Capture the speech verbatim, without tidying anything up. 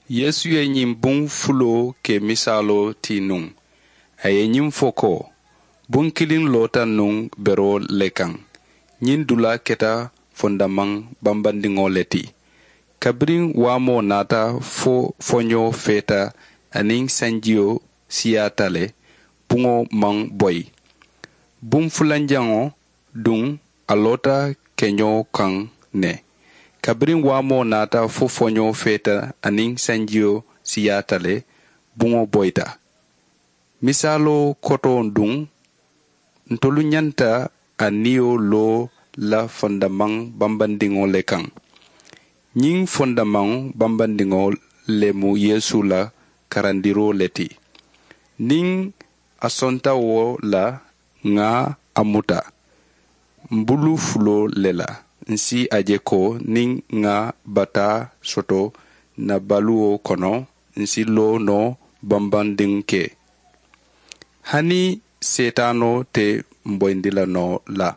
Yeesu ye ñiŋ buŋ fuloo ke misaaloo ti nuŋ. A ye ñiŋ fo ko, buŋ kiliŋ loota nuŋ beroo le kaŋ. Ñiŋ dulaa keta fondamaŋ bambandiŋo le ti. Kabiriŋ waamoo naata fo foñoo feeta aniŋ sanjiyo siyaata le, buŋo maŋ boyi. Buŋ fulanjaŋo duŋ, a loota keñoo kaŋ ne. Kabiriŋ waamoo naata fo foñoo feeta aniŋ sanjiyo siyaata le, buŋo boyita. Misaaloo kotoo duŋ, ntolu ñanta a niyo loo la fondamaŋ bambandiŋo le kaŋ. Ñiŋ fondamaŋ bambandiŋo le mu Yeesu la karandiroo le ti. Niŋ a sonta wo la, ŋà a muta m bulu fuloo le la. Ǹ si a je ko niŋ ŋà bataa soto ǹ na baluwo kono, ǹ si loo noo bambandiŋ ke. Hani seetaanoo te m boyindi la noo la.